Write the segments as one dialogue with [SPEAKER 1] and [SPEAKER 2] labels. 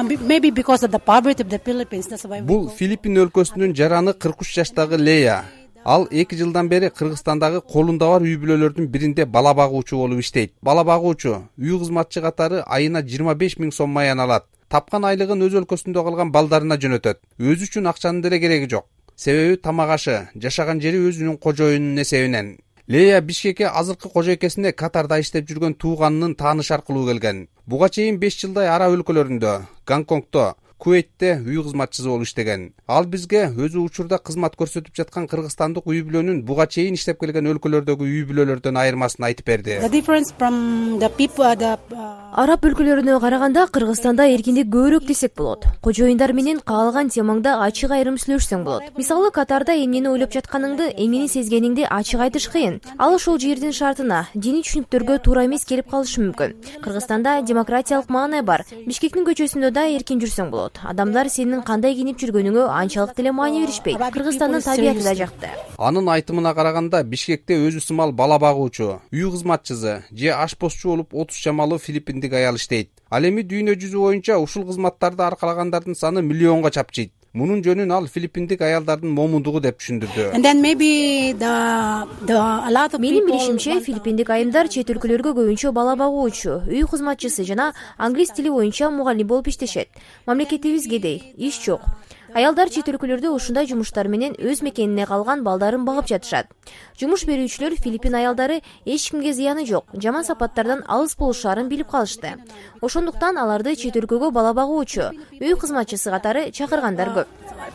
[SPEAKER 1] Maybe because of the poverty of the Philippines, that's why.
[SPEAKER 2] Бул Филиппин өлкөсүнүн жараны 43 жаштагы Лея. Ал 2 жылдан бери Кыргызстандагы колунда бар үй бүлөлөрдүн биринде бала багуучу болуп иштейт. Бала багуучу үй кызматчы катары айына 25 000 сом маян алат. Тапкан айлыгын өз өлкөсүндө калган балдарына жөнөтөт. Өзү үчүн акчанын деле кереги жок. Себеби тамак ашы, жашаган жери өзүнүн кожоюнунун эсебинен. Лея Бишкекке азыркы кожойкесине Катарда иштеп жүргөн тууганынын таанышы аркылуу келген. Буга чейин 5 жылдай араб өлкөлөрүндө, Гонконгдо, Куweitте үй кызматчысы болуп иштеген. Ал бизге өзү учурда кызмат көрсөтүп жаткан кыргызстандык үй бүлөнүн буга чейин иштеп келген өлкөлөрдөгү үй бүлөлөрдөн айырмасын айтып берди.
[SPEAKER 1] The difference from the people,
[SPEAKER 3] Араб өлкөлөрүнө караганда Кыргызстанда эркиндик көбүрөөк десек болот. Кожоюндар менен каалган темаңда ачык айрым сүйлөшсөң болот. Мисалы, Катарда эмнени ойлоп жатканыңды, эмнени сезгениңди ачык айтыш кыйын. Ал ошол жердин шартына, диний түшүнүктөргө туура эмес келип калышы мүмкүн. Кыргызстанда демократиялык маанай бар. Бишкектин көчөсүндө да эркин жүрсөң болот. Адамдар сенин кандай кийинип жүргөнүңө анчалык деле маани беришпейт. Кыргызстандын табияты да жакты.
[SPEAKER 2] Анын айтымына караганда, Бишкекте өзү сымал бала багуучу, үй кызматчысы же ашпозчу болуп 30 жамалуу филиппиндик аял иштейт. Ал эми дүйнө жүзү боюнча ушул кызматтарды аркалагандардын саны миллионго чапчыйт. Мунун жөнүн ал филиппиндик аялдардын момундугу деп түшүндүрдү.
[SPEAKER 1] and then maybe a lot of
[SPEAKER 3] Менин
[SPEAKER 1] people.
[SPEAKER 3] билишимче, филиппиндик айымдар чет өлкөлөргө көбүнчө бала багуучу, үй кызматчысы жана англис тили боюнча мугалим болуп иштешет. Мамлекетибиз кедей, иш жок. Аялдар чет өлкөлөрдө ушундай жумуштар менен өз мекенине калган балдарын багып жатышат. Жумуш берүүчүлөр Филиппин аялдары эч кимге зыяны жок, жаман сапаттардан алыс болушаарын билип калышты. Ошондуктан аларды чет өлкөгө бала багуучу, үй кызматчысы катары чакыргандар көп.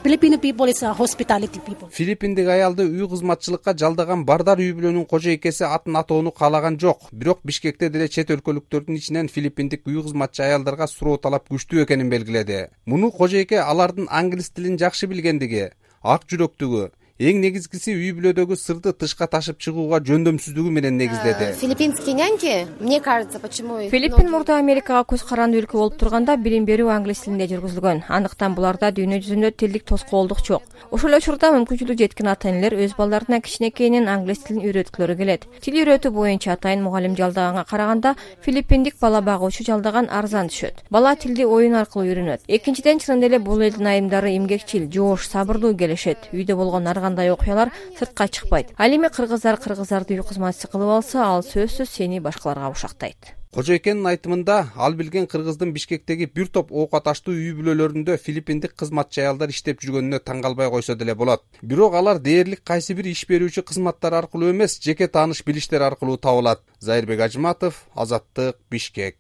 [SPEAKER 1] Filipino people is a hospitality people.
[SPEAKER 2] Филиппиндик аялды үй кызматчылыкка жалдаган Бардар үй бүлөнүн кожойкеси атын атоону каалаган жок. Бирок Бишкекте деле чет өлкөлүктөрдүн ичинен филиппиндик үй кызматчы аялдарга суроо талап күчтүү экенин белгиледи. Муну кожойке алардын англис тилин жакшы билгендиги, ак жүрөктүгү, эң негизгиси үй бүлөдөгү сырды тышка ташып чыгууга жөндөмсүздүгү менен негиздеди.
[SPEAKER 4] Филиппинские няньки, мне кажется, почему
[SPEAKER 5] Филиппин мурда Америкага көз карандуу өлкө болуп турганда билим берүү англис тилинде жүргүзүлгөн. Андыктан буларда дүйнө жүзүндө тилдик тоскоолдук жок. Ошол учурда мүмкүнчүлүгү жеткен ата-энелер өз балдарына кичинекейинен англис тилин үйрөткүлөрү келет. Тил үйрөтүү боюнча атайын мугалим жалдаганга караганда филиппиндик бала багуучу жалдаган арзан түшөт. Бала тилди оюн аркылуу үйрөнөт. Экинчиден, чынында эле бул элдин айымдары эмгекчил, жоош, сабырдуу келишет. Үйдө болгон кандай окуялар сыртка чыкпайт. Ал эми кыргыздарды үй кызматчысы кылып алса, ал сөзсүз сени башкаларга ушактайт.
[SPEAKER 2] Кожойкенин айтымында, ал билген Кыргыздын Бишкектеги бир топ оокаташтуу үй бүлөлөрүндө филиппиндик кызматчы аялдар иштеп жүргөнүнө таң калбай койсо деле болот. Бирок алар дээрлик кайсы бир иш берүүчү кызматтар аркылуу эмес, жеке тааныш билиштер аркылуу табылат. Зайырбек Ажматов, Азаттык, Бишкек.